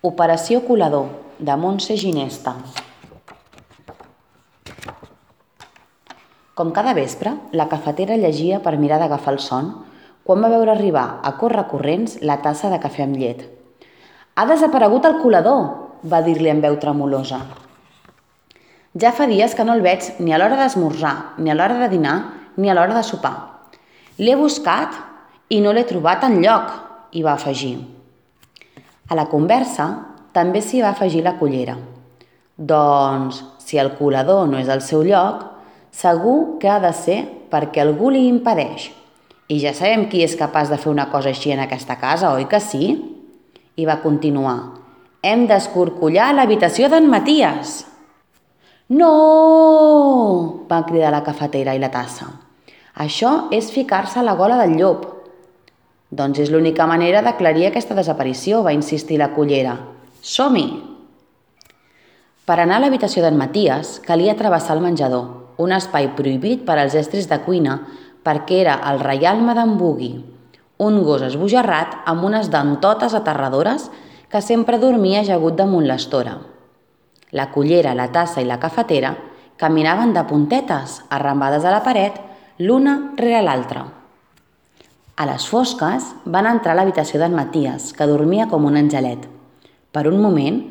Operació Colador, de Montse Ginesta. Com cada vespre, la cafetera llegia per mirar d'agafar el son quan va veure arribar a correcorrents la tassa de cafè amb llet. «Ha desaparegut el colador!», va dir-li amb veu tremolosa. «Ja fa dies que no el veig ni a l'hora d'esmorzar, ni a l'hora de dinar, ni a l'hora de sopar. L'he buscat i no l'he trobat enlloc», hi va afegir. A la conversa també s'hi va afegir la cullera. Doncs, si el colador no és al seu lloc, segur que ha de ser perquè algú li impedeix. I ja sabem qui és capaç de fer una cosa així en aquesta casa, oi que sí? I va continuar. «Hem d'escorcollar l'habitació d'en Maties!» «No!», va cridar la cafetera i la tassa. «Això és ficar-se a la gola del llop». «Doncs és l'única manera d'aclarir aquesta desaparició», va insistir la cullera. «Som-hi!» Per anar a l'habitació d'en Maties calia travessar el menjador, un espai prohibit per als estris de cuina perquè era el reialme d'en Bugui, un gos esbojarrat amb unes dentotes aterradores que sempre dormia ajagut damunt l'estora. La cullera, la tassa i la cafetera caminaven de puntetes, arrambades a la paret, l'una rere l'altra. A les fosques van entrar a l'habitació d'en Maties, que dormia com un angelet. Per un moment,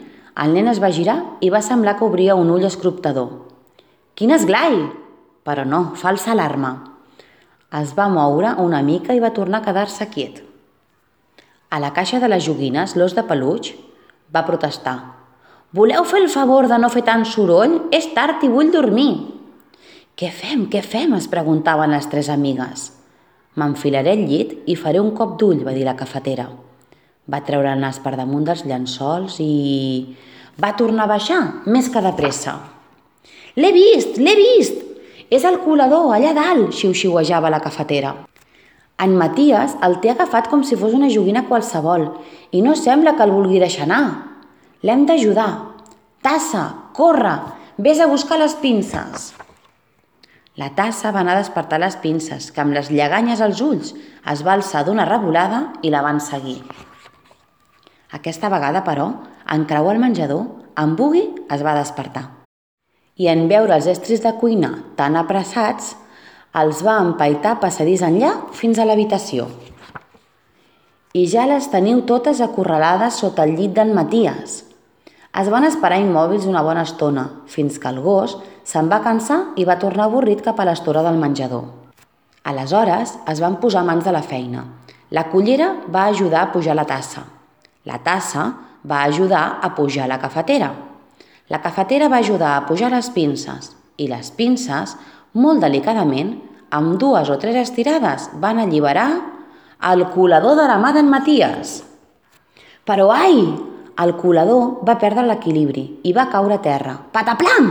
el nen es va girar i va semblar que obria un ull escruptador. «Quin esglai!», però no, falsa alarma. Es va moure una mica i va tornar a quedar-se quiet. A la caixa de les joguines, l'os de peluix va protestar. «Voleu fer el favor de no fer tant soroll? És tard i vull dormir!» «Què fem? Què fem?», es preguntaven les tres amigues. «M'enfilaré al llit i faré un cop d'ull», va dir la cafetera. Va treure el nas per damunt dels llençols i... va tornar a baixar, més que de pressa. «L'he vist! L'he vist! És el colador, allà dalt!», xiu-xiuejava la cafetera. «En Maties el té agafat com si fos una joguina qualsevol i no sembla que el vulgui deixar anar. L'hem d'ajudar. Tassa, corre, vés a buscar les pinces». La tassa va anar a despertar les pinces, que amb les lleganyes als ulls es va alçar d'una revolada i la van seguir. Aquesta vegada, però, en creuar el menjador, en Bugui es va despertar. I en veure els estris de cuina tan apressats, els va empaitar passadís enllà fins a l'habitació. «I ja les teniu totes acorralades sota el llit d'en Maties». Es van esperar immòbils una bona estona, fins que el gos se'n va cansar i va tornar avorrit cap a l'estora del menjador. Aleshores es van posar mans de la feina. La cullera va ajudar a pujar la tassa. La tassa va ajudar a pujar la cafetera. La cafetera va ajudar a pujar les pinces i les pinces, molt delicadament, amb 2 o 3 estirades, van alliberar el colador de la mà d'en Maties. Però ai! El colador va perdre l'equilibri i va caure a terra. Pataplam!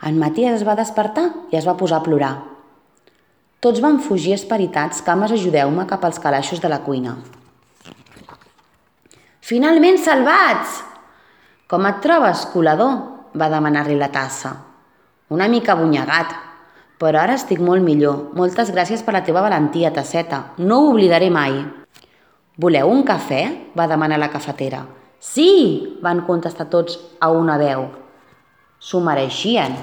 En Maties es va despertar i es va posar a plorar. Tots van fugir esperitats, cames, ajudeu-me, cap als calaixos de la cuina. «Finalment salvats!» «Com et trobes, colador?», va demanar-li la tassa. «Una mica abonyegat, però ara estic molt millor. Moltes gràcies per la teva valentia, tasseta. No ho oblidaré mai». «Voleu un cafè?», va demanar la cafetera. «Sí!», van contestar tots a una veu. S'ho mereixien.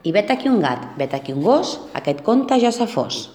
I vet aquí un gat, vet aquí un gos, aquest conte ja s'ha fos.